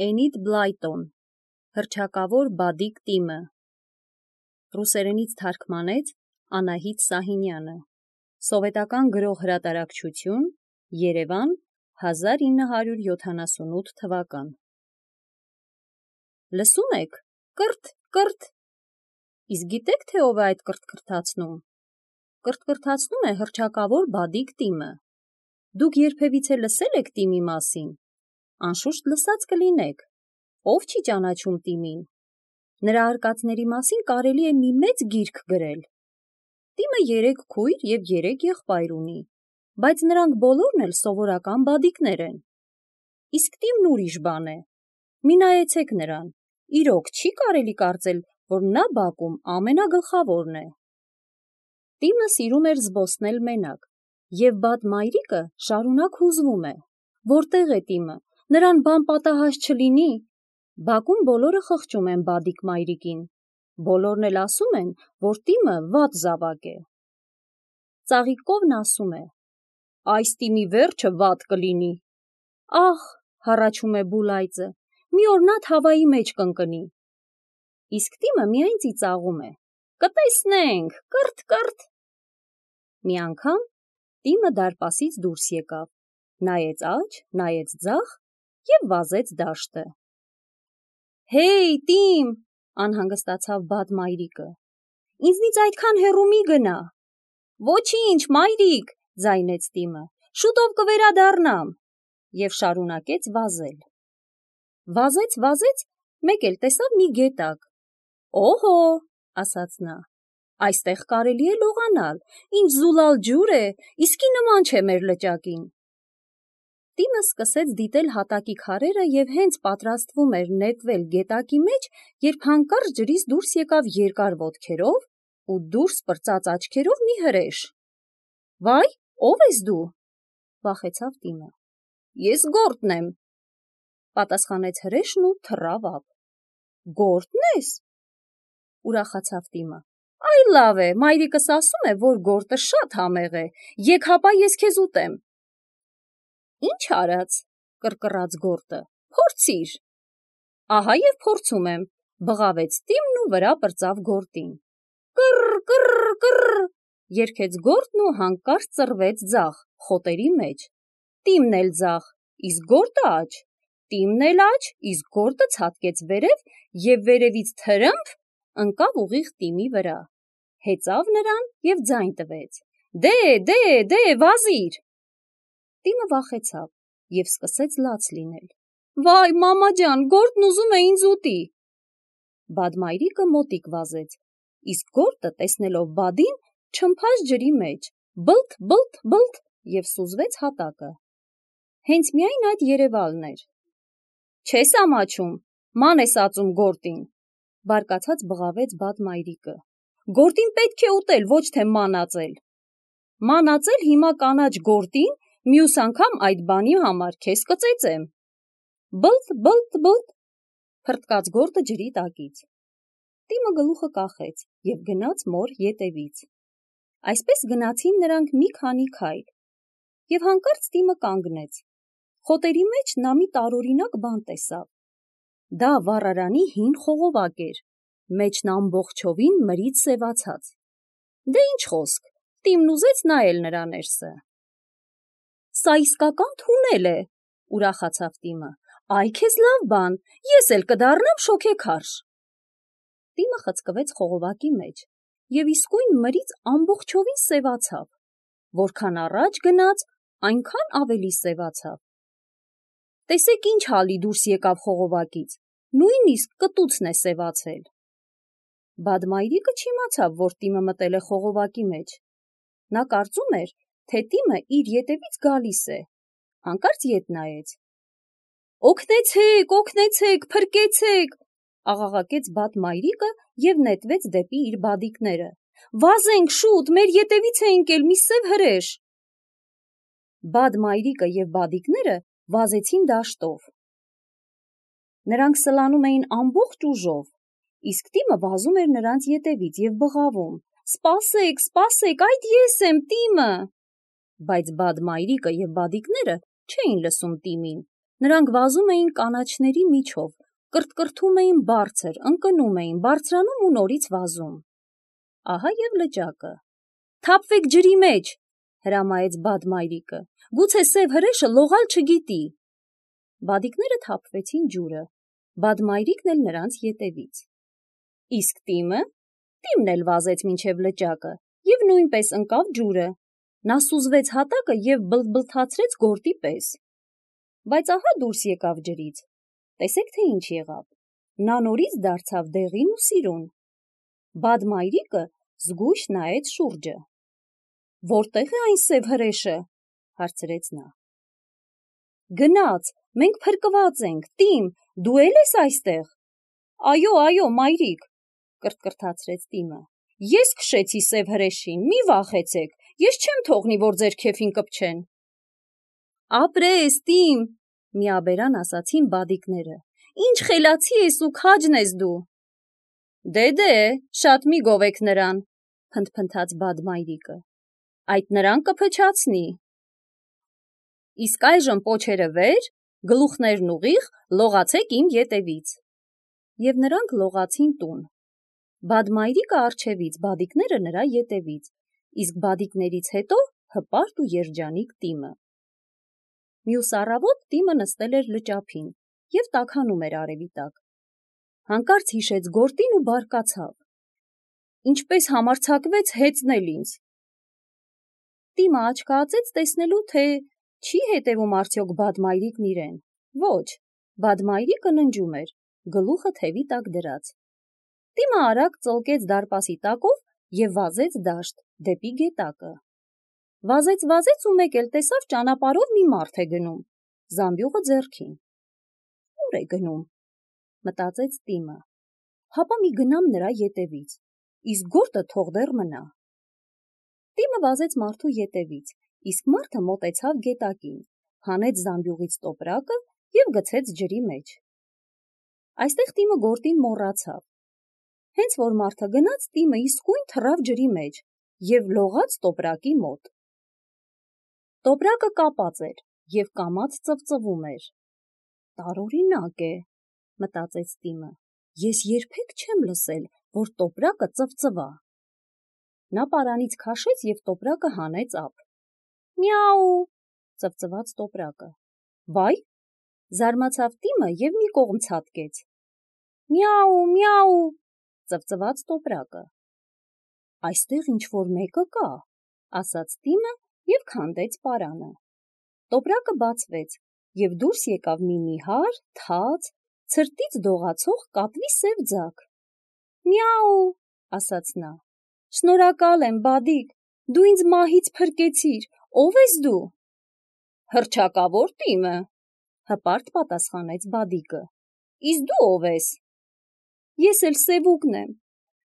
Էնիդ Բլայտոն, հռչակավոր բադիկ տիմը, ռուսերենից թարգմանեց Անահիտ Սահինյանը, սովետական գրող հրատարակչություն, Երևան, 1978 թվական։ Լսում եք, կրթ, կրթ, իսկ գիտեք, թե ով է այդ կրթկրթացնում։ Կրթկրթացնում է հռչակավոր բադիկ տիմը։ Դուք երբևիցե լսել եք տիմի մասին։ Անշուշտ լսած կլինեք, ով չի ճանաչում տիմին։ Նրա արկածների մասին կարելի է մի մեծ գիրք գրել։ Տիմը 3 քույր և 3 եղբայր ունի, բայց նրանք բոլորն էլ սովորական բադիկներ են։ Իսկ տիմն ուրիշ բան է։ Մի նայեցեք նրան, իրոք չի կարելի կարծել, որ նա բակում ամենագլխավորն է։ Տիմը սիրում էր զբոսնել մենակ, և բադ մայրիկը շարունակ հուզվում է, որտեղ է տիմը, նրան բան պատահած չլինի։ Բակում բոլորը խղճում են բադիկ մայրիկին, բոլորն էլ ասում են, որ տիմը վատ զավակ է։ Ծաղիկ կովն ասում է. այս տիմի վերջը վատ կլինի։ Ահ, հառաչում է Բուլայձը, մի օր նա թավայի մեջ կընկնի։ Իսկ տիմը միայն ծիծաղում է. կտեսնենք, կրթ, կրթ։ Մի անգամ տիմը դարպասից դուրս եկավ, նայեց աջ, նայեց ձախ և վազեց դաշտը։ Հեյ, տիմ, անհանգստացավ բադ մայրիկը, ինձնից այդքան հեռու մի գնա։ Ոչինչ, մայրիկ, ձայնեց տիմը, շուտով կվերադառնամ, և շարունակեց վազել։ Վազեց, մեկ էլ տեսավ մի գետակ։ Օհո, ասաց նա, այստեղ կարելի է լողանալ, ինչ զուլալ ջուր է, իսկի նման չէ մեր լճակին։ Տիմը սկսեց դիտել հատակի քարերը և հենց պատրաստվում էր նետվել գետակի մեջ, երբ հանկարծ ջրից դուրս եկավ երկար ոտքերով ու դուրս պրծած աչքերով մի հրեշ։ Վայ, ո՞վ ես դու, վախեցավ տիմը։ Ես գորտն եմ, պատասխանեց հրեշն ու թռավ ափ։ Գորտն ես, ուրախացավ տիմը։ Այ լավ է, մայրիկս ասում է, որ գորտը շատ համեղ է, եկ հապա ես քեզ ուտեմ։ Ինչ արած, կռկռաց գորտը, փորձիր։ Ահա և փորձում եմ, բղավեց տիմն ու վրա պրծավ գորտին։ Կռ, կռ, կռ, երգեց գորտն ու հանկարծ ծռվեց ձախ, խոտերի մեջ։ Տիմն էլ ձախ, իսկ գորտը աջ, տիմն էլ աջ, իսկ գորտը ցատկեց վերև և վերևից թրըմփ ընկավ ուղիղ տիմի վրա, հեծավ նրան և ձայն տվեց. դե, վազիր։ Տիմը վախեցավ և սկսեց լաց լինել։ Վայ, մամա ջան, գորտն ուզում է ինձ ուտի։ Բադ մայրիկը մոտիկ վազեց, իսկ գորտը, տեսնելով բադին, չմփաց ջրի մեջ, բլթ, բլթ, բլթ և սուզվեց հատակը։ Հենց միայն այդ երևալն էր։ Չես ամաչում, ման ես ածում գորտին, բարկացած բղավեց բադ մայրիկը։ Գորտին պետք է ուտել, ոչ թե ման ածել։ Ման ածել հիմա կանաչ գորտին, մյուս անգամ այդ բանի համար քեզ կծեծեմ։ Բլթ, բլթ, բլթ, փռթկաց գորտը ջրի տակից։ Տիմը գլուխը կախեց և գնաց մոր ետևից։ Այսպես գնացին նրանք մի քանի քայլ, և հանկարծ տիմը կանգնեց։ Խոտերի մեջ նա մի տարօրինակ բան տեսավ։ Դա վառարանի հին խողովակ էր, մեջն ամբողջովին մրից սևացած։ Դե ինչ խոսք, տիմն ուզեց նայել նրա ներսը։ Սա իսկական թունել է, ուրախացավ տիմը, այ քեզ լավ բան, ես էլ կդառնամ շոգեքարշ։ Տիմը խցկվեց խողովակի մեջ և իսկույն մրից ամբողջովին սևացավ, որքան առաջ գնաց, այնքան ավելի սևացավ։ Տեսեք ինչ հալի դուրս եկավ խողովակից, նույնիսկ կտուցն է սևացել։ Բադ մայրիկը չիմացավ, որ տիմը մտել է խողովակի մեջ։ Նա կարծում էր, թե տիմը իր ետևից գալիս է, հանկարծ ետ նայեց։ Օգնեցեք, փրկեցեք, աղաղակեց բադ մայրիկը և նետվեց դեպի իր բադիկները։ Վազենք շուտ, մեր ետևից է ընկել մի սև հրեշ։ Բադ մայրիկը և բադիկները վազեցին դաշտով։ Նրանք սլանում էին ամբողջ ուժով, իսկ տիմը վազում էր նրանց ետևից և բղավում. Սպասեք, սպասեք, այդ ես եմ, տիմը։ Բայց բադ մայրիկը և բադիկները չէին լսում տիմին Նրանք վազում էին կանաչների միջով, կրթկրթում էին բարձր, ընկնում էին, բարձրանում ու նորից վազում։ Ահա և լճակը։ «Թափվեք ջրի մեջ», հրամայեց բադմայրիկը, «գուցե սև հրեշը լողալ չգիտի»։ Բադիկները թափվեցին ջուրը, բադմայրիկն էլ նրանց ետևից։ Իսկ Տիմը էլ վազեց մինչև լճակը և նույնպես ընկավ ջուրը։ Նա սուզվեց հատակը և բլթբլթացրեց գորտի պես։ Բայց ահա դուրս եկավ ջրից։ Տեսեք, թե ինչ եղավ։ Նա նորից դարձավ դեղին ու սիրուն։ Բադմայրիկը զգույշ նայեց շուրջը։ «Որտե՞ղ է այն սև հրեշը», հարցրեց նա։ «Գնաց, մենք փրկված ենք, Տիմ, դու էլ ես այստեղ»։ Այո, մայրիկ, կրթկրթացրեց Տիմը։ Ես քշեցի սև հրեշին, մի վախեցեք, ես չեմ թողնի, որ ձեր քեֆին կպչեն։ Ապրես, Տիմ, միաբերան ասացին բադիկները։ Ինչ խելացի ես ու քաջն ես դու։ Դե, շատ մի գովեք նրան, փնթփնթաց բադմայրիկը։ Այդ նրան կփչացնի։ Իսկ այժմ պոչերը վեր, գլուխներն ուղիղ, լողացեք իմ ետևից։ Եվ նրանք լողացին տուն։ Բադմայրիկը առջևից, բադիկները նրա ետևից, իսկ բադիկներից հետո հպարտ ու երջանիկ Տիմը։ Մյուս առավոտ Տիմը նստել էր լճափին և տաքանում էր արևի տակ։ Հանկարծ հիշեց գորտին ու բարկացավ։ Ինչպես համարձակվեց հեծնել ինձ։ Տիմը աչքահացեց տեսնելու, թե չի հետևում արդյոք բադմայրիկն իրեն։ Ոչ, բադմայրիկը ննջում էր, գլուխը թևի տակ դրած։ Տիմը արագ ծլկեց դարպասի տակով և վազեց դաշտ, դեպի գետակը։ Վազեց ու մեկ էլ տեսավ ճանապարհով մի մարդ է գնում, զամբյուղը ձեռքին։ Ուր է գնում, մտածեց Տիմը։ Հապա մի գնամ նրա ետևից, իսկ գորտը թող դեռ մնա։ Տիմը վազեց մարդու ետևից, իսկ մարդը մոտեցավ գետակին, հանեց զամբյուղից տոպրակը և գցեց ջրի մեջ։ Այստեղ Տիմը գորտին մոռացավ։ Հենց որ մարդը գնաց, Տիմը իսկույն թռավ ջրի մեջ և լողաց տոպրակի մոտ։ Տոպրակը կապած էր և կամաց ծվծվում էր։ Տարօրինակ է, մտածեց Տիմը, ես երբեք չեմ լսել, որ տոպրակը ծվծվա։ Նա պարանից քաշեց և տոպրակը հանեց ափ։ Միաու, ծվծվաց տոպրակը։ Վայ, զարմացավ Տիմը և մի կողմ ցատկեց։ Միաու, ծվծվաց տոպրակը։ Այստեղ ինչ-որ մեկը կա, ասաց Տիմը և քանդեց պարանը։ Տոպրակը բացվեց և դուրս եկավ մի նիհար, թաց, ցրտից դողացող կատվի սև ձագ։ Միաու, ասաց նա։ Շնորհակալ եմ, բադիկ, դու ինձ մահից փրկեցիր, ո՞վ ես դու։ Հռչակավոր Տիմը, հպարտ պատասխանեց բադիկը։ Իսկ դու ո՞վ ես։ Ես էլ Սևուկն եմ։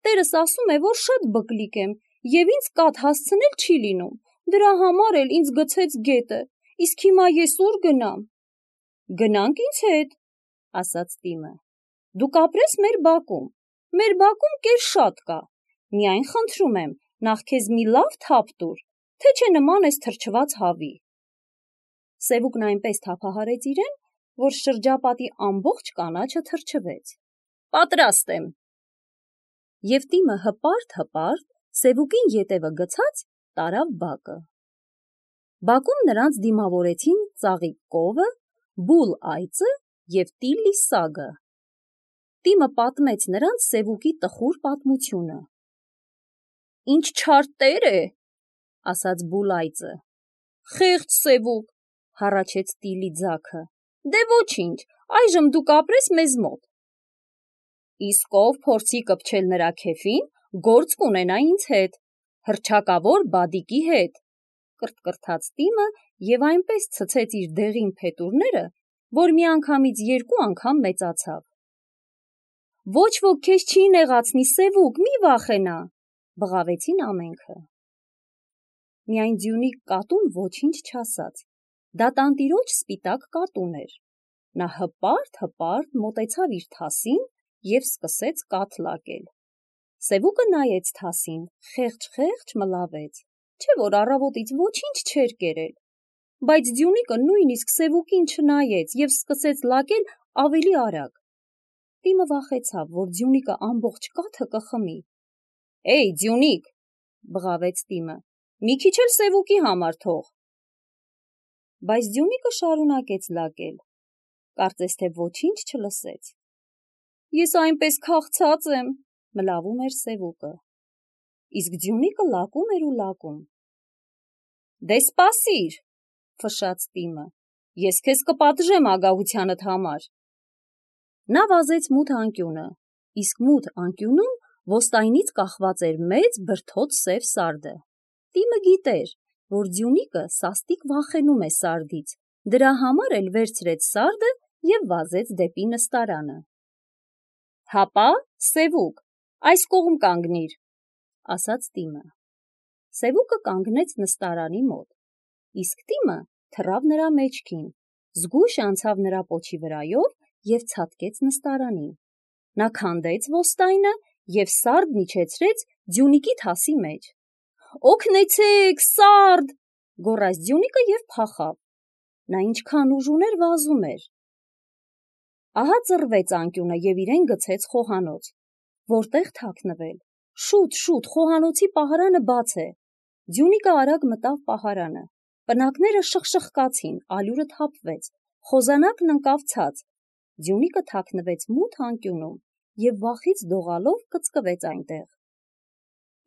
Տերս ասում է, որ շատ բկլիկ եմ և ինձ կաթ հասցնել չի լինում, դրա համար էլ ինձ գցեց գետը, իսկ հիմա ես ուր գնամ։ Գնանք ինձ հետ, ասաց Տիմը։ Դու կապրես մեր բակում կեր շատ կա, միայն խնդրում եմ, նախ քեզ մի լավ թափ տուր, թե չէ նման ես թրջված հավի։ Սևուկն այնպես թափահարեց իրեն, որ շրջապատի ամբողջ կանաչը թրջվեց։ Պատրաստ եմ։ Եվ Տիմը հպարտ Սևուկին ետևը գցած տարավ բակը։ Բակում նրանց դիմավորեցին ծաղիկ կովը, բուլ այծը և տիլլի սագը։ Տիմը պատմեց նրանց Սևուկի տխուր պատմությունը։ Ինչ չար տեր է, ասաց բուլ այծը։ Խեղճ Սևուկ, հառաչեց տիլլի ձագը։ Դե ոչինչ, այժմ դու կապրես մեզ մոտ։ Իսկ ով փորձի կպչել նրա քեֆին, գործ կունենա ինձ հետ, հռչակավոր բադիկի հետ, կրթկրթաց Տիմը և այնպես ցցեց իր դեղին փետուրները, որ միանգամից 2 անգամ մեծացավ։ Ոչ ոք քեզ չի նեղացնի, Սևուկ, մի վախենա, բղավեցին ամենքը։ Միայն ձյունիկ կատուն ոչինչ չասաց։ Դա տանտիրոջ սպիտակ կատուն էր։ Նա հպարտ մոտեցավ իր թասին և սկսեց կաթ լակել։ Սևուկը նայեց թասին, խեղճ մլավեց, չէ որ առավոտից ոչինչ չէր կերել։ բայց Ձյունիկը նույնիսկ Սևուկին չնայեց և սկսեց լակել ավելի արագ։ Տիմը վախեցավ, որ Ձյունիկը ամբողջ կաթը կխմի։ «Էй, Ձյունիկ», բղավեց Տիմը, «մի քիչ էլ Սևուկի համար թող»։ Բայց Ձյունիկը շարունակեց լակել, կարծես թե ոչինչ չլսեց։ «Ես այնպես քաղցած եմ», մլավում էր Սևուկը։ Իսկ Ձյունիկը լակում էր ու լակում։ «Դե սպասիր», ֆշաց Տիմը, «ես քեզ կպատժեմ ագահությանդ համար»։ Նա վազեց մութ անկյունը, իսկ մութ անկյունում ոստայնից կախված էր մեծ բրդոտ սև սարդը։ Տիմը գիտեր, որ Ձյունիկը սաստիկ վախենում է սարդից, դրա համար էլ վերցրեց սարդը և վազեց դեպի նստարանը։ «Հապա, Սևուկ, այս կողմ կանգնիր», ասաց Տիմը։ Սևուկը կանգնեց նստարանի մոտ, իսկ Տիմը թռավ նրա մեջքին, զգույշ անցավ նրա պոչի վրայով և ցատկեց նստարանին։ Նա քանդեց ոստայնը և սարդն իջեցրեց Ձյունիկի թասի մեջ։ «Օգնեցե՛ք, սարդ», գոռաց Ձյունիկը և փախավ։ Նա ինչքան ուժ ուներ, վազում էր։ Ահա ծռվեց անկյունը և իրեն գցեց խոհանոց։ Որտե՞ղ թաքնվել։ Շուտ, խոհանոցի պահարանը բաց է։ Ձյունիկը արագ մտավ պահարանը։ Պնակները շխշխկացին, ալյուրը թափվեց, խոզանակն ընկավ ցած։ Ձյունիկը թաքնվեց մութ անկյունում և վախից դողալով կծկվեց այնտեղ։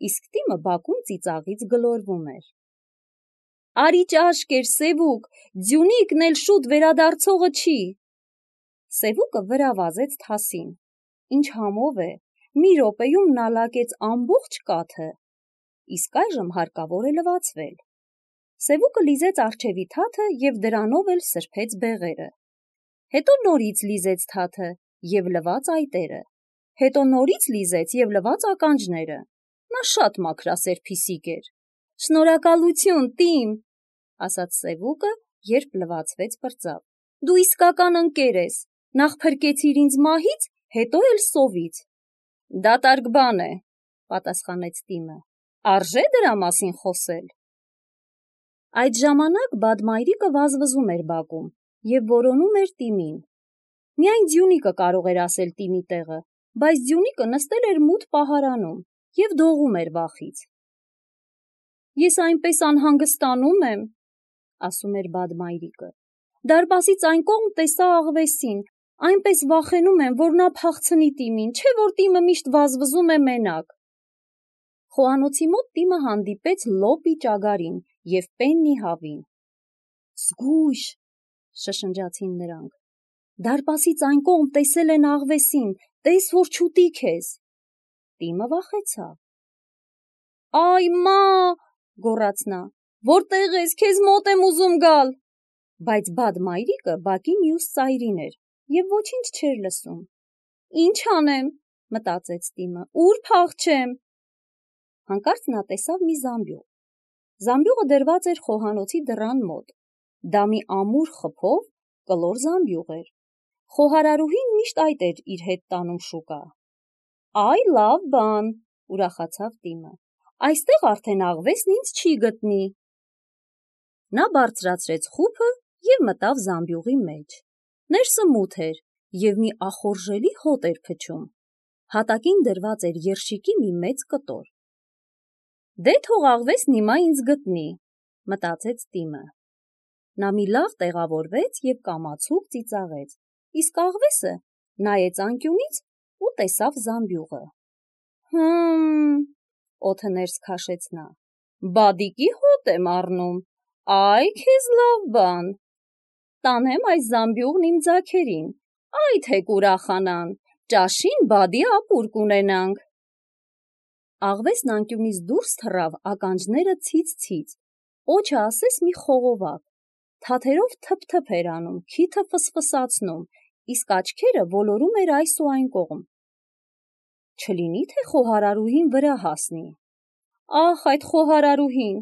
Իսկ Տիմը բակում ծիծաղից գլորվում էր։ «Արի ճաշկեր, Սևուկ, Ձյունիկն էլ շուտ վերադարձողը չի»։ Սևուկը վրա վազեց թասին։ Ինչ համով է, մի րոպեում նա լակեց ամբողջ կաթը։ Իսկ այժմ հարկավոր է լվացվել։ Սևուկը լիզեց առջևի թաթը և դրանով էլ սրբեց բեղերը։ Հետո նորից լիզեց թաթը և լվաց այտերը։ Հետո նորից լիզեց և լվաց ականջները։ Նա շատ մաքրասեր փիսիկ էր։ «Շնորհակալություն, Տիմ», ասաց Սևուկը, երբ լվացվեց պրծավ։ «Դու իսկական ընկեր ես։ Նախ փրկեցիր ինձ մահից, հետո էլ սովից»։ «Դատարկ բան է», պատասխանեց Տիմը։ «Արժե՞ դրա մասին խոսել»։ Այդ ժամանակ Բադմայրիկը վազվզում էր բակում և որոնում էր Տիմին։ Միայն Ձյունիկը կարող էր ասել Տիմի տեղը, բայց Ձյունիկը նստել էր մութ պահարանում և դողում էր վախից։ «Ես այնպես անհանգստանում եմ», ասում էր Բադմայրիկը։ «Դարպասից այն կողմ տեսա աղվեսին, այնպես վախենում եմ, որ նա փախցնի Տիմին, չէ՞ որ Տիմը միշտ վազվզում է մենակ»։ Խոհանոցի մոտ Տիմը հանդիպեց Լոպի ճագարին և Պեննի հավին։ «Զգույշ», շշնջացին նրանք։ «Դարպասից այն կողմ տեսել են աղվեսին, տես, որ չուտի քեզ»։ Տիմը վախեցավ։ «Այ մա», գոռաց նա, «որտե՞ղ ես, քեզ մոտ եմ ուզում գալ»։ Բայց Բադմայրիկը բակի մյուս ծայրին էր և ոչինչ չէր լսում։ «Ինչ անեմ», մտածեց Տիմը, «ուր փախչեմ»։ Հանկարծ նա տեսավ մի զամբյուղ։ Զամբյուղը դրված էր խոհանոցի դռան մոտ։ Դա մի ամուր խփով կլոր զամբյուղ էր։ Խոհարարուհին միշտ այդ էր իր հետ տանում շուկա։ «Այ լավ բան», ուրախացավ Տիմը, «այստեղ արդեն աղվեսն ինձ չի գտնի»։ Նա բարձրացրեց խուփը և մտավ զամբյուղի մեջ։ Ներսը մութ էր և մի ախորժելի հոտ էր փչում։ Հատակին դրված էր երշիկի մի մեծ կտոր։ «Դե թող աղվեսն հիմա ինձ գտնի», մտածեց Տիմը։ Նա մի լավ տեղավորվեց և կամացուկ ծիծաղեց, իսկ աղվեսը նայեց անկյունից ու տեսավ զամբյուղը։ Օդը ներս քաշեց նա, «բադիկի հոտ եմ առնում, այ քեզ լավ բան։ Տանեմ այս զամբյուղն իմ ձագերին, այ թեք ուրախանան, ճաշին բադի ապուր կունենանք»։ Աղվեսն անկյունից դուրս թռավ ականջները ցից-ցից, օջը ասես մի խողովակ, թաթերով թփ-թփ էր անում, քիթը ֆսֆսացնում, իսկ աչքերը ոլորում էր այս ու այն կողմ։ Չլինի՞ թե խոհարարուհին վրա հասնի։ Ահ, այդ խոհարարուհին,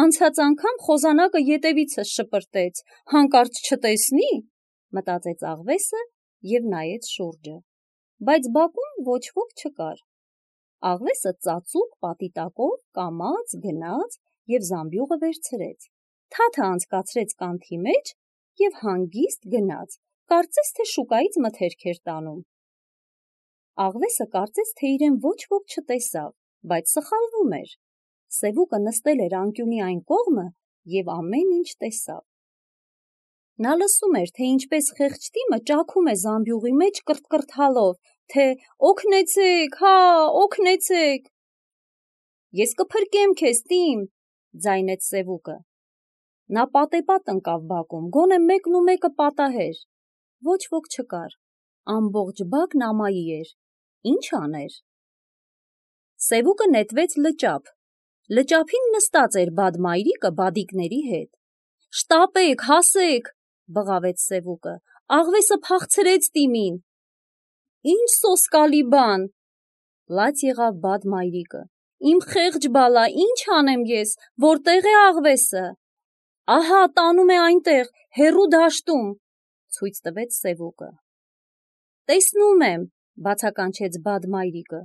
անցած անգամ խոզանակը ետևիցս շպրտեց, հանկարծ չտեսնի, մտածեց աղվեսը և նայեց շուրջը։ Բայց բակում ոչ ոք չկար։ Աղվեսը ծածուկ պատի տակով կամաց գնաց և զամբյուղը վերցրեց։ թաթը անցկացրեց կանթի մեջ և հանգիստ գնաց, կարծես թե շուկայից մթերք էր տանում։ Աղվեսը կարծես թե իրեն ոչ ոք չտեսավ, բայց սխալվում էր։ Սևուկը նստել էր անկյունի այն կողմը և ամեն ինչ տեսավ։ Նա լսում էր, թե ինչպես խեղճ տիմը ճաքում է զամբյուղի մեջ կրթկրթալով, թե «Օգնեցեք, հա, օգնեցեք»։ «Ես կփրկեմ քեզ, տիմ», ձայնեց Սևուկը։ Նա պատեպատ ընկավ բակում, գոնե մեկն ու մեկը պատահեր։ Ոչ ոք չկար, ամբողջ բակն ամայի էր, ինչ աներ։ Սևուկը նետվեց լճափ։ Լճափին նստած էր բադմայրիկը բադիկների հետ։ «Շտապեք, հասեք», բղավեց Սևուկը, «աղվեսը փախցրեց տիմին»։ «Ինչ սոսկալի բան», լաց եղավ բադմայրիկը, «Իմ խեղճ բալա, ինչ անեմ ես, որտեղ է աղվեսը»։ «Ահա, տանում է այնտեղ, հեռու դաշտում», ցույց տվեց Սևուկը։ «Տեսնում եմ», բացականչեց բադմայրիկը,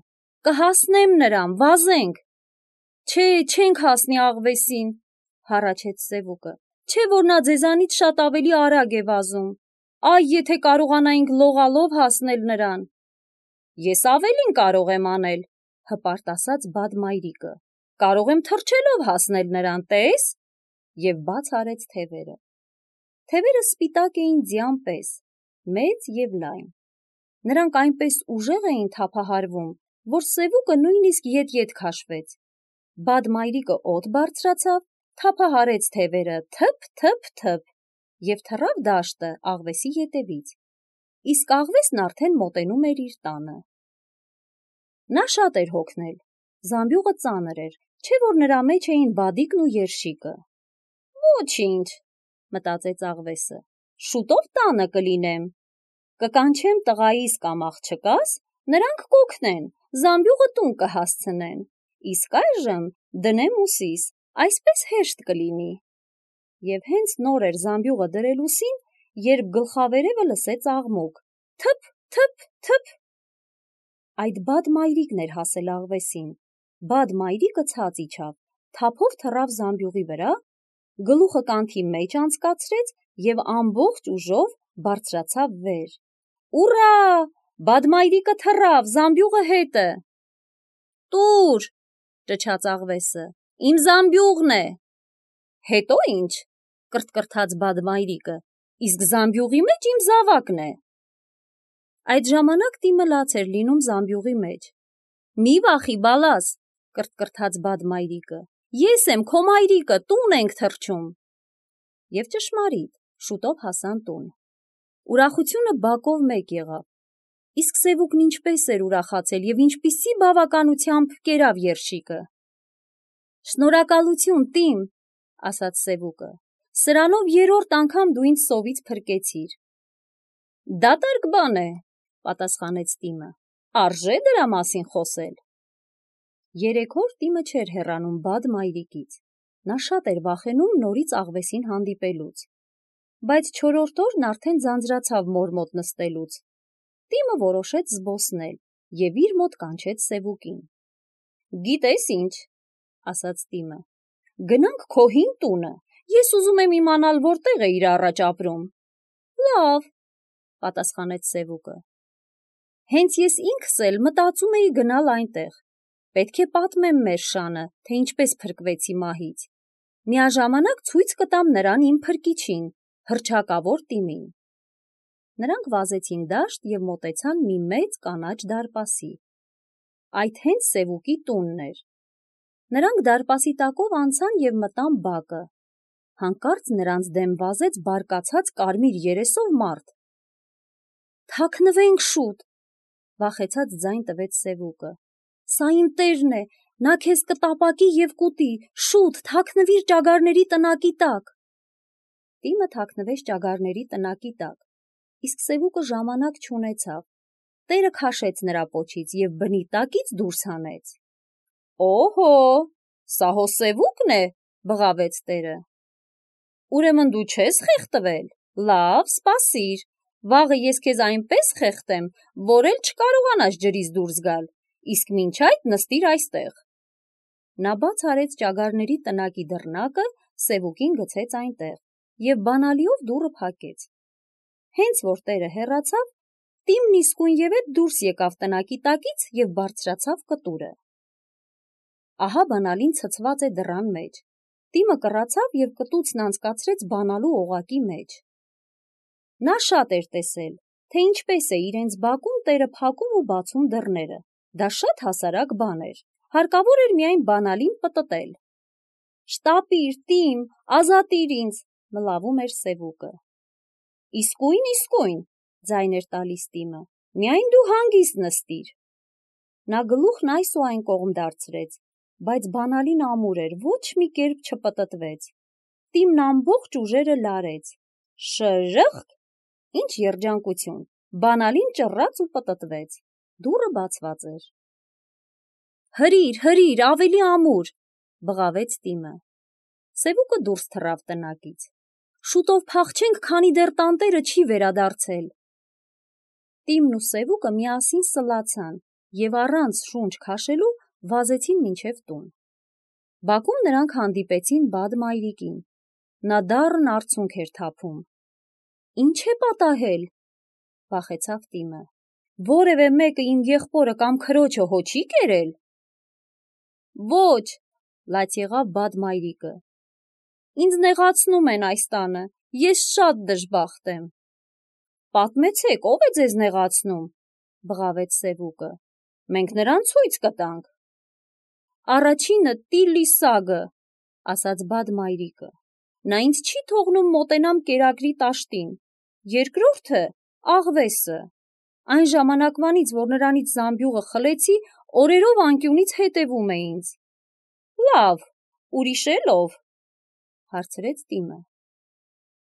«կհասնեմ նրան, վազենք»։ «Չէ, չենք հասնի աղվեսին», հառաչեց Սևուկը, «չէ՞ որ նա ձեզանից շատ ավելի արագ է վազում։ Այ եթե կարողանայինք լողալով հասնել նրան»։ «Ես ավելին կարող եմ անել», հպարտ ասաց բադմայրիկը, «կարող եմ թռչելով հասնել նրան, տես»։ Եվ բաց արեց թևերը։ Թևերը սպիտակ էին ձյան պես, մեծ և լայն։ Նրանք այնպես ուժեղ էին թափահարվում, որ Սևուկը նույնիսկ ետ-ետ քաշվեց։ Բադմայրիկը օդ բարձրացավ, թափահարեց թևերը թփ-թփ-թփ և թռավ դաշտը աղվեսի ետևից, իսկ աղվեսն արդեն մոտենում էր իր տանը։ Նա շատ էր հոգնել, զամբյուղը ծանր էր, չէ՞ որ նրա մեջ էին բադիկն ու երշիկը։ «Ոչինչ», մտածեց աղվեսը, «շուտով տանը կլինեմ։ Կկանչեմ տղայիս կամ աղջկաս, նրանք կօգնեն, զամբյուղը տուն կհասցնեն, իսկ այժմ դնեմ ուսիս, այսպես հեշտ կլինի»։ Եվ հենց նոր էր զամբյուղը դրել ուսին, երբ գլխավերևը լսեց աղմուկ. թփ-թփ-թփ։ Այդ բադմայրիկն էր հասել աղվեսին։ Բադմայրիկը ցած իջավ, թափով թռավ զամբյուղի վրա, գլուխը կանթի մեջ անցկացրեց և ամբողջ ուժով բարձրացավ վեր։ «Ուռա! Բադմայրիկը թռավ, զամբյուղը հետը»։ «Տուր», ճչաց աղվեսը, «իմ զամբյուղն է»։ «Հետո ինչ», կրթկրթաց բադմայրիկը, «իսկ զամբյուղի մեջ իմ զավակն է»։ Այդ ժամանակ տիմը լաց էր լինում զամբյուղի մեջ։ «Մի վախի, բալաս», կրթկրթաց բադմայրիկը, «ես եմ, քո մայրիկը, տուն ենք թռչում»։ Եվ ճշմարիտ, շուտով հասան տուն։ Ուրախությունը բակով մեկ եղավ։ Իսկ Սևուկն ինչպես էր ուրախացել և ինչպիսի բավականությամբ կերավ երշիկը։ «Շնորհակալություն, տիմ», ասաց Սևուկը, «սրանով երրորդ անգամ դու ինձ սովից փրկեցիր»։ «Դատարկ բան է», պատասխանեց տիմը, «արժե դրա մասին խոսել»։ Երեք օր տիմը չէր հեռանում բադմայրիկից։ Նա շատ էր վախենում նորից աղվեսին հանդիպելուց։ Բայց չորրորդ օրն արդեն ձանձրացավ մոր մոտ նստելուց։ Տիմը որոշեց զբոսնել և իր մոտ կանչեց Սևուկին։ «Գիտես ինչ», ասաց տիմը, «գնանք քո հին տունը, ես ուզում եմ իմանալ որտեղ է իր առաջ ապրում»։ «Լավ», պատասխանեց Սևուկը, «հենց ես ինքս էլ մտածում էի գնալ այնտեղ։ Պետք է պատմեմ մեր շանը, թե ինչպես փրկվեցի մահից։ Միաժամանակ ցույց կտամ նրան իմ փրկիչին, հռչակավոր տիմին»։ Նրանք վազեցին դաշտ և մոտեցան մի մեծ կանաչ դարպասի։ Այդ հենց Սևուկի տունն էր։ Նրանք դարպասի տակով անցան և մտան բակը։ Հանկարծ նրանց դեմ վազեց բարկացած կարմիր երեսով մարդ։ «Թաքնվենք շուտ», վախեցած ձայն տվեց Սևուկը։ «Սա իմ տերն է, նա քեզ կտապակի և կուտի, շուտ, թաքնվիր ճագարների տնակի տակ»։ Տիմը թաքնվեց ճագարների տնակի տակ, իսկ Սևուկը ժամանակ չունեցավ։ Տերը քաշեց նրա պոչից և բնի տակից դուրս հանեց։ «Օհո, սա հո Սևուկն է», բղավեց տերը։ «Ուրեմն դու չես խեղդվել, լավ, սպասիր, վաղը ես քեզ այնպես խեղդեմ, որ էլ չկարողանաս ջրից դուրս գալ, իսկ մինչ այդ նստիր այստեղ»։ Նա բաց արեց ճագարների տնակի դռնակը Սևուկին գցեց այնտեղ և բանալիով դուռը փակեց։ Հենց որ տերը հեռացավ, Տիմն իսկույնևեթ դուրս եկավ տնակի տակից և բարձրացավ կտուրը։ Ահա բանալին ցցված է դռան մեջ։ Տիմը կռացավ և կտուցն անցկացրեց բանալու օղակի մեջ։ Նա շատ էր տեսել, թե ինչպես է իրենց բակում տերը փակում ու բացում դռները։ Դա շատ հասարակ բան էր, հարկավոր էր միայն բանալին պտտել։ «Շտապիր, Տիմ, ազատիր ինձ», մլավում էր Սևուկը։ Իսկույն, ձայն էր տալիս Տիմը, միայն դու հանգիստ նստիր։ Նա գլուխն այս ու այն կողմ դարձրեց, բայց բանալին ամուր էր, ոչ մի կերպ չպտտվեց։ Տիմն ամբողջ ուժերը լարեց։ Շրըխկ, ինչ երջանկություն, բանալին ճռաց ու պտտվեց։ Դուռը բացված էր։ Հրիր, ավելի ամուր, բղավեց Տիմը։ Սևուկը դուրս թռավ տնակից։ Շուտով փախչենք, քանի դեռ տանտերը չի վերադարձել։ Տիմն ու Սևուկը միասին սլացան և առանց շունչ քաշելու վազեցին մինչև տուն։ Բակում նրանք հանդիպեցին Բադ մայրիկին։ Նա դառն արցունք էր թափում։ Ինչ է պատահել, վախեցավ Տիմը։ Որևէ մեկը իմ եղբորը կամ քրոջը հո չի կերել։ Ոչ, լաց եղավ Բադ մայրիկը։ Ինձ նեղացնում են այս տանը, ես շատ դժբախտ եմ։ Պատմեցեք, ով է ձեզ նեղացնում, բղավեց Սևուկը։ Մենք նրան ցույց կտանք։ Առաջինը Տիլիսագը, ասաց Բադ մայրիկը։ Նա ինձ չի թողնում մոտենամ կերակրի տաշտին։ Երկրորդը Աղվեսը։ Այն ժամանակվանից, որ նրանից զամբյուղը խլեցի, օրերով անկյունից հետևում է ինձ։ Լավ, ուրիշ էլ ով, հարցրեց Տիմը։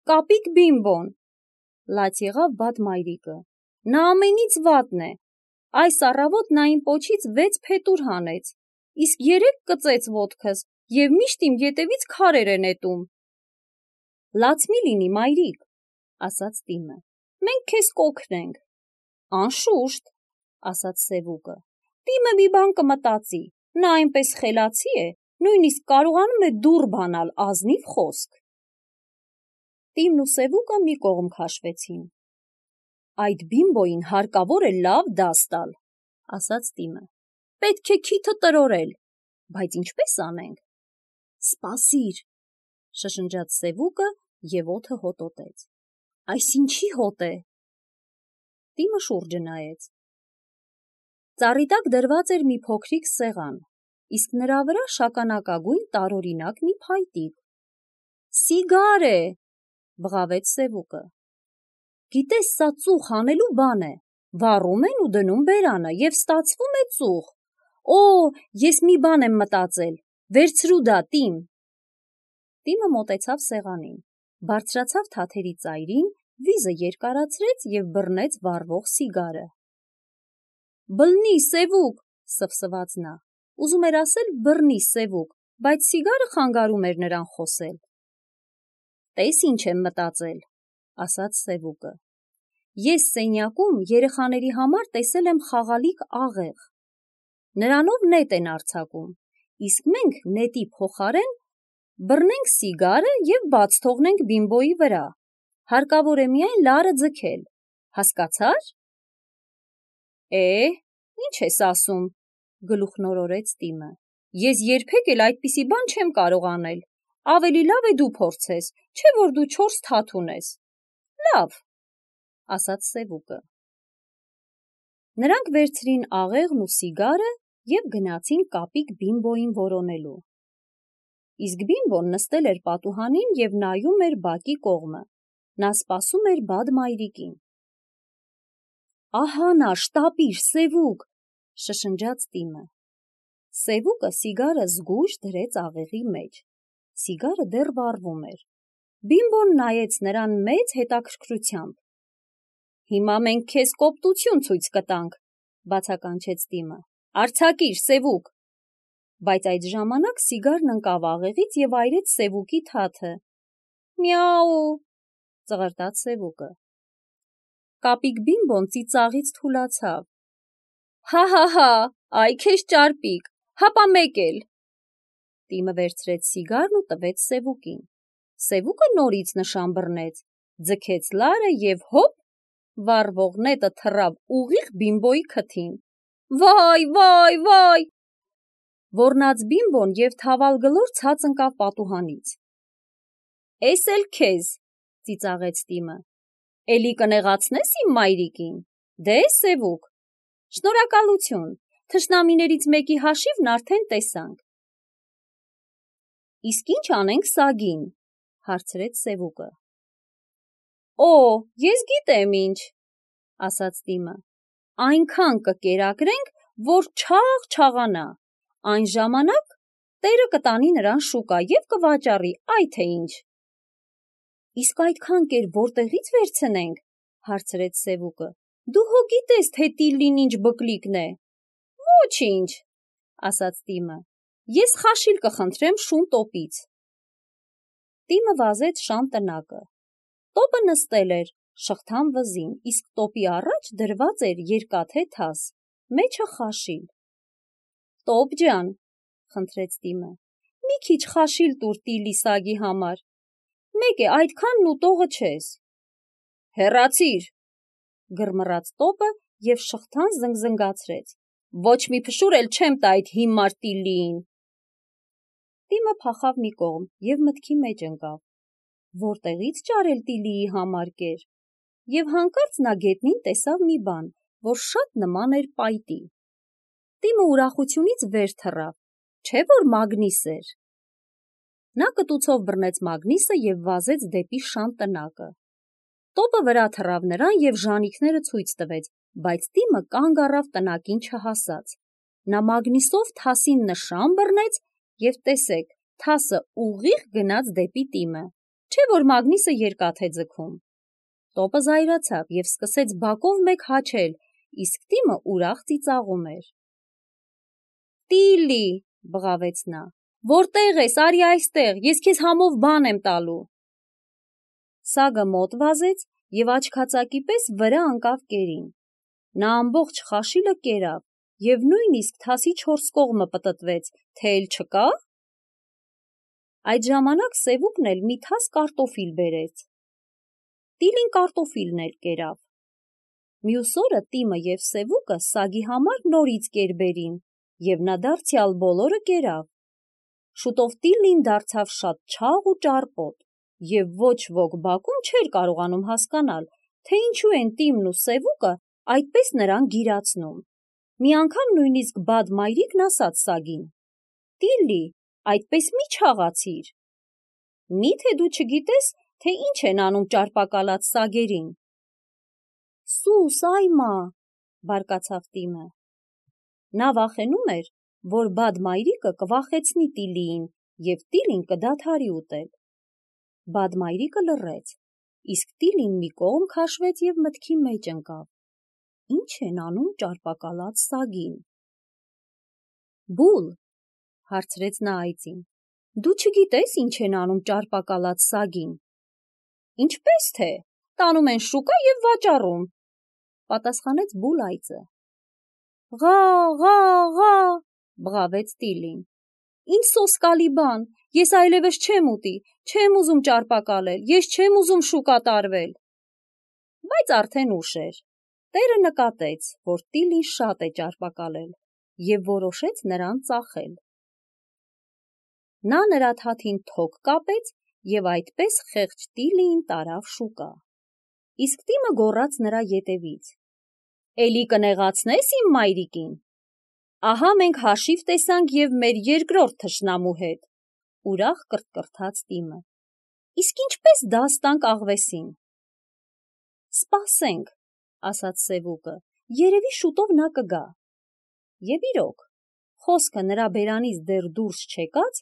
Կապիկ Բիմբոն, լաց եղավ Բադ մայրիկը։ Նա ամենից վատն է։ Այս առավոտ նա իմ պոչից 6 փետուր հանեց, իսկ 3 կծեց ոտքս և միշտ իմ ետևից քարեր է նետում։ Լաց մի լինի, մայրիկ, ասաց Տիմը։ Մենք քեզ կօգնենք։ Անշուշտ, ասաց Սևուկը։ Տիմը մի բան կմտածի, նա այնպես խելացի է, նույնիսկ կարողանում է դուռ բանալ, ազնիվ խոսք։ Տիմն ու Սևուկը մի կողմ քաշվեցին։ Այդ Բիմբոյին հարկավոր է լավ դաս տալ, ասաց Տիմը։ Պետք է քիթը տրորել, բայց ինչպես անենք։ Սպասիր, շշնջաց Սևուկը և օդը հոտոտեց։ Այս ինչի հոտ է։ Տիմը շուրջը նայեց։ Ծառի տակ դրված էր մի փոքրիկ սեղան, իսկ նրա վրա շագանակագույն տարօրինակ մի փայտիկ։ Սիգար է, բղավեց Սևուկը։ Գիտես, սա ծուխ անելու բան է։ Վառում են ու դնում բերանը և ստացվում է ծուխ։ Օ, ես մի բան եմ մտածել։ Վերցրու դա, Տիմ։ Տիմը մոտեցավ սեղանին, բարձրացավ թաթերի ծայրին, վիզը երկարացրեց և բռնեց վառվող սիգարը։ Բլնի, Սևուկ, սվսված նա։ Ուզում էր ասել բռնի, Սևուկ, բայց սիգարը խանգարում էր նրան խոսել։ Տես ինչ եմ մտածել, ասաց Սևուկը։ Ես սենյակում երեխաների համար տեսել եմ խաղալիք աղեղ։ Նրանով նետ են արձակում, իսկ մենք նետի փոխարեն բռնենք սիգարը և բաց թողնենք Բիմբոյի վրա։ Հարկավոր է միայն լարը ձգել, հասկացա՞ր։ Ինչ ես ասում, գլուխնորորեց Տիմը։ Ես երբեք էլ այդպիսի բան չեմ կարող անել։ Ավելի լավ է դու փորձես, չէ որ դու 4 թաթ ունես։ Լավ, ասաց Սևուկը։ Նրանք վերցրին աղեղն ու սիգարը և գնացին կապիկ Բիմբոյին որոնելու։ Իսկ Բիմբոն նստել էր պատուհանին և նայում էր բակի կողմը։ Նա սպասում էր Բադ մայրիկին։ Ահա նա, շտապիր, Սևուկ, շշնջաց Տիմը։ Սևուկը սիգարը զգույշ դրեց աղեղի մեջ։ Սիգարը դեռ վառվում էր։ Բիմբոն նայեց նրան մեծ հետաքրքրությամբ։ Հիմա մենք քեզ կոպտություն ցույց կտանք, բացականչեց Տիմը։ Արձակիր, Սևուկ։ Բայց այդ ժամանակ սիգարն ընկավ աղեղից և այրեց Սևուկի թաթը։ Միաու, ծղրտաց Սևուկը։ Կապիկ Բիմբոն ծիծաղից թուլացավ։ Հա, այ քեզ ճարպիկ, հապա մեկ էլ։ Տիմը վերցրեց սիգարն ու տվեց Սևուկին։ Սևուկը նորից նշան բռնեց, ձգեց լարը և հոպ, վառվող նետը թռավ ուղիղ Բիմբոյի քթին։ Վայ, վայ, վայ, ոռնաց Բիմբոն և թավալգլոր ցած ընկավ պատուհանից։ Էս էլ քեզ, ծիծաղեց Տիմը, էլի կնեղացնես իմ մայրիկին։ Դե Սևուկ, շնորհակալություն, թշնամիներից մեկի հաշիվն արդեն տեսանք։ Իսկ ինչ անենք սագին, հարցրեց Սևուկը։ Օ, ես գիտեմ ինչ, ասաց Տիմը, այնքան կկերակրենք, որ չաղ չաղանա, այն ժամանակ տերը կտանի նրան շուկա և կվաճառի, այ թե ինչ։ Իսկ այդքան կեր որտեղից վերցնենք, հարցրեց Սևուկը, դու հո գիտես, թե Տիլլին ինչ բկլիկն է։ Ոչինչ, ասաց Տիմը, ես խաշիլ կխնդրեմ շուն տոպից։ Տիմը վազեց շան տնակը։ Տոպը նստել էր շղթան վզին, իսկ տոպի առաջ դրված էր երկաթե թաս, մեջը խաշիլ։ Տոպ ջան, խնդրեց Տիմը, մի քիչ խաշիլ տուր Տիլլի սագի համար։ Մեկ է, այդքանն ուտողը չես։ Հեռացիր, գրմռաց Տոպը և շղթան զնգզնգացրեց։ Ոչ մի փշուր էլ չեմ տա այդ հիմար Տիլլիին։ Տիմը փախավ մի կողմ և մտքի մեջ ընկավ։ Որտեղից ճարել Տիլլիի համար կեր։ Եվ հանկարծ նա գետնին տեսավ մի բան, որ շատ նման էր պայտի։ Տիմը ուրախությունից վեր թռավ, չէ՞ որ մագնիս էր։ Նա կտուցով բռնեց մագնիսը և վազեց դեպի շան տնակը։ Տոպը վրա թռավ նրան և ժանիքները ցույց տվեց, բայց Տիմը կանգ առավ տնակին չհասած։ Նա մագնիսով թասին նշան բռնեց և տեսեք, թասը ուղիղ գնաց դեպի Տիմը, չէ՞ որ մագնիսը երկաթ է ձգում։ Տոպը զայրացավ և սկսեց բակով մեկ հաչել, իսկ Տիմը ուրախ ծիծաղում էր։ Տիլլի, բղավեց նա, որտեղ ես, արի այստեղ, ես քեզ համով բան եմ տալու։ Սագը մոտ վազեց և աչքածակի պես վրա ընկավ կերին։ Նա ամբողջ խաշիլը կերավ և նույնիսկ թասի 4 կողմը պտտվեց, թե էլ չկա։ Այդ ժամանակ Սևուկն էլ մի թաս կարտոֆիլ բերեց։ Տիլին կարտոֆիլն էլ կերավ։ Մյուս օրը Տիմը և Սևուկը սագի համար նորից կերբերին, և նա դարձյալ բոլորը կերավ։ Շուտով Տիլլին դարձավ շատ չաղ ու ճարպոտ, և ոչ ոք բակում չէր կարողանում հասկանալ, թե ինչու են Տիմն ու Սևուկը այդպես նրան գիրացնում։ Մի անգամ նույնիսկ Բադ մայրիկն ասաց սագին. Տիլլի, այդպես մի չաղացիր։ Մի՞թե դու չգիտես, թե ինչ են անում ճարպակալած սագերին։ Սուս, այմա, բարկացավ Տիմը։ Նա վախենում էր, որ Բադ մայրիկը կվախեցնի Տիլլիին և Տիլլին կդադարի ուտել։ Բադ մայրիկը լռեց, իսկ Տիլլին մի կողմ քաշվեց և մտքի մեջ ընկավ. ինչ են անում ճարպակալած սագին։ Բուլ, հարցրեց նա այծին, դու չգիտես ինչ են անում ճարպակալած սագին։ Ինչպես թե, տանում են շուկա և վաճառում, պատասխանեց Բուլ այծը։ Ղա, ղա, ղա, բղավեց Տիլլին։ Ինչ սոսկալի բան, ես այլևս չեմ ուտի, չեմ ուզում ճարպակալել, ես չեմ ուզում շուկա տարվել։ Բայց արդեն ուշ էր։ Տերը նկատեց, որ Տիլլին շատ է ճարպակալել և որոշեց նրան ծախել։ Նա նրա թաթին թոք կապեց և այդպես խեղճ Տիլլիին տարավ շուկա։ Իսկ Տիմը գոռաց նրա ետևից. Էլի կնեղացնես իմ մայրիկին։ Ահա մենք հաշիվ տեսանք և մեր երկրորդ թշնամու հետ, ուրախ կրթկրթաց Տիմը։ Իսկ ինչպես դաս տանք աղվեսին։ Սպասենք, ասաց Սևուկը, երևի շուտով նա կգա։ Եվ իրոք, խոսքը նրա բերանից դեռ դուրս չեկած,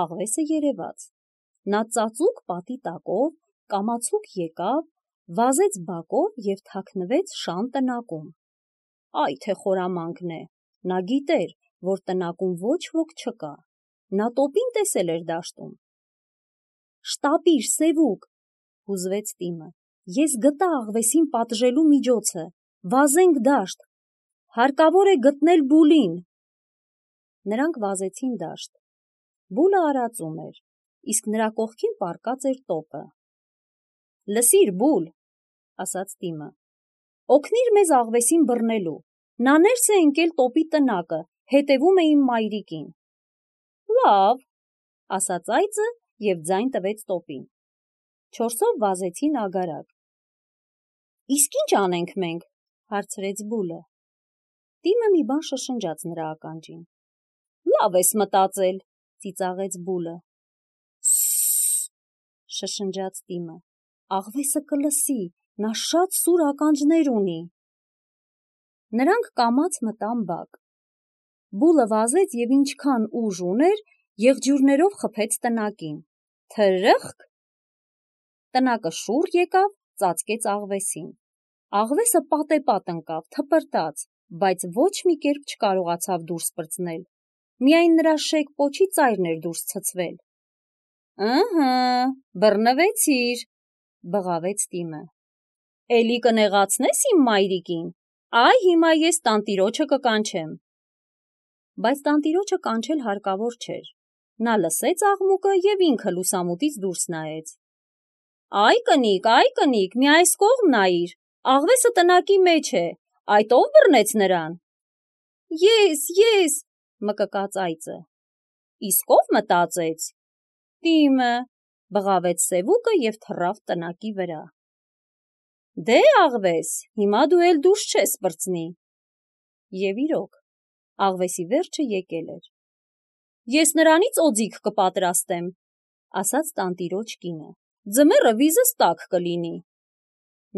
աղվեսը երևաց։ Նա ծածուկ պատի տակով, կամացուկ եկավ, վազեց բակով և թաքնվեց շան տնակում։ Այ թե խորամանկն է, նա գիտեր, որ տնակում ոչ ոք չկա։ Նա տոպին տեսել էր դաշտում։ Շտապիր, Սևուկ, հուզվեց Տիմը, ես գտա աղվեսին պատժելու միջոցը, վազենք դաշտ, հարկավոր է գտնել Բուլին։ Նրանք վազեցին դաշտ։ Բուլը արածում էր, իսկ նրա կողքին պառկած էր տոպը։ «Լսիր, Բուլ», ասաց Տիմը, «օգնիր մեզ աղվեսին բռնելու, նա ներս է ընկել տոպի տնակը, հետևում է իմ մայրիկին»։ «Լավ», ասաց այծը և ձայն տվեց տոպին։ 4-ով վազեցին ագարակ։ «Իսկ ինչ անենք մենք», հարցրեց Բուլը։ Տիմը մի բան շշնջաց նրա ականջին։ «Լավ ես մտածել», ծիծաղեց Բուլը։ «Սսս», շշնջաց Տիմը, «աղվեսը կլսի, նա շատ սուր ականջներ ունի»։ Նրանք կամաց մտան բակ։ Բուլը վազեց և ինչքան ուժ ուներ, եղջյուրներով խփեց տնակին։ Թրըխկ, տնակը շուռ եկավ, ծածկեց աղվեսին։ Աղվեսը պատեպատ ընկավ, թպրտաց, բայց ոչ մի կերպ չկարողացավ դուրս պրծնել։ Միայն նրա շեկ պոչի ծայրն էր դուրս ցցվել։ «Ըհը, բռնվեցիր», բղավեց Տիմը։ «Էլի կնեղացնես իմ մայրիկին, այ հիմա ես տանտիրոջը կկանչեմ»։ Բայց տանտիրոջը կանչել հարկավոր չէր։ Նա լսեց աղմուկը և ինքը լուսամուտից դուրս նայեց։ «Այ կնիկ, մի այս կողմ նայիր, աղվեսը տնակի մեջ է, այդ ով բռնեց նրան»։ Ես, մկկաց այծը։ «Իսկ ով մտածեց»։ «Տիմը», բղավեց Սևուկը և թռավ տնակի վրա։ «Դե աղվես, հիմա դու էլ դուրս չես պրծնի»։ Եվ իրոք, աղվեսի վերջը եկել էր։ «Ես նրանից օձիք կպատրաստեմ», ասաց տանտիրոջ կինը, «ձմեռը վիզս տաք կլինի»։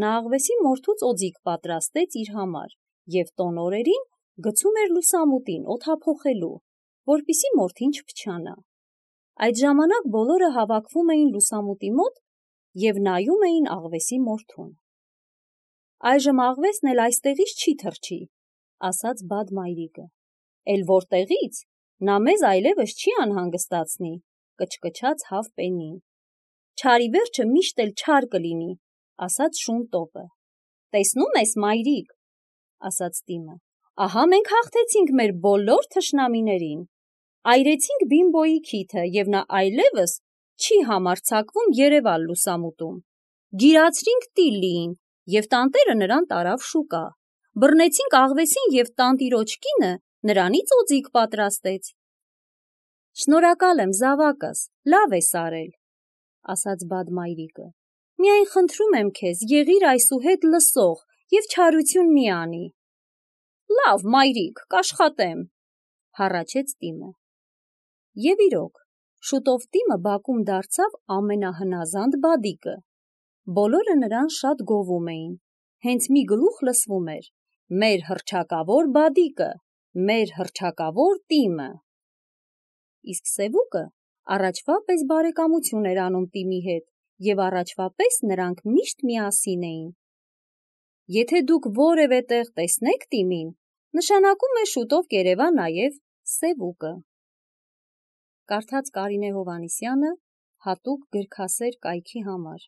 Նա աղվեսի մորթուց օձիք պատրաստեց իր համար և տոն օրերին գցում էր լուսամուտին օդափոխելու, որպեսզի մորթին չփչանա։ Այդ ժամանակ բոլորը հավաքվում էին լուսամուտի մոտ և նայում էին աղվեսի մորթուն։ «Այժմ աղվեսն էլ այստեղից չի թռչի», ասաց Բադ մայրիկը։ «Էլ որտեղից, նա մեզ այլևս չի անհանգստացնի», կչկչաց Հավ-Պենին։ «Չարի վերջը միշտ էլ չար կլինի», ասաց Շուն տոպը։ «Տեսնում ես, մայրիկ», ասաց Տիմը, «ահա մենք հաղթեցինք մեր բոլոր թշնամիներին։ Այրեցինք Բիմբոյի քիթը և նա այլևս չի համարձակվում երևալ լուսամուտում։ Գիրացրինք Տիլլիին և տանտերը նրան տարավ շուկա։ Բռնեցինք աղվեսին և տանտիրոջ կինը նրանից օձիք պատրաստեց»։ «Շնորհակալ եմ, զավակս, լավ ես արել», ասաց Բադ մայրիկը։ «Միայն խնդրում եմ քեզ, եղիր այսուհետ լսող և չարություն մի անի»։ «Լավ, մայրիկ, կաշխատեմ», հառաչեց Տիմը։ Եվ իրոք, շուտով Տիմը բակում դարձավ ամենահնազանդ բադիկը։ Բոլորը նրան շատ գովում էին, հենց մի գլուխ լսվում էր. «Մեր հռչակավոր բադիկը, մեր հռչակավոր Տիմը»։ Իսկ Սևուկը առաջվա պես բարեկամություն էր անում Տիմի հետ, և առաջվա պես նրանք միշտ միասին էին։ Եթե դուք որևէ տեղ տեսնեք Տիմին, նշանակում է շուտով կերևա նաև Սևուկը։ Կարդաց Կարինե Հովհաննիսյանը հատուկ գրքասեր կայքի համար։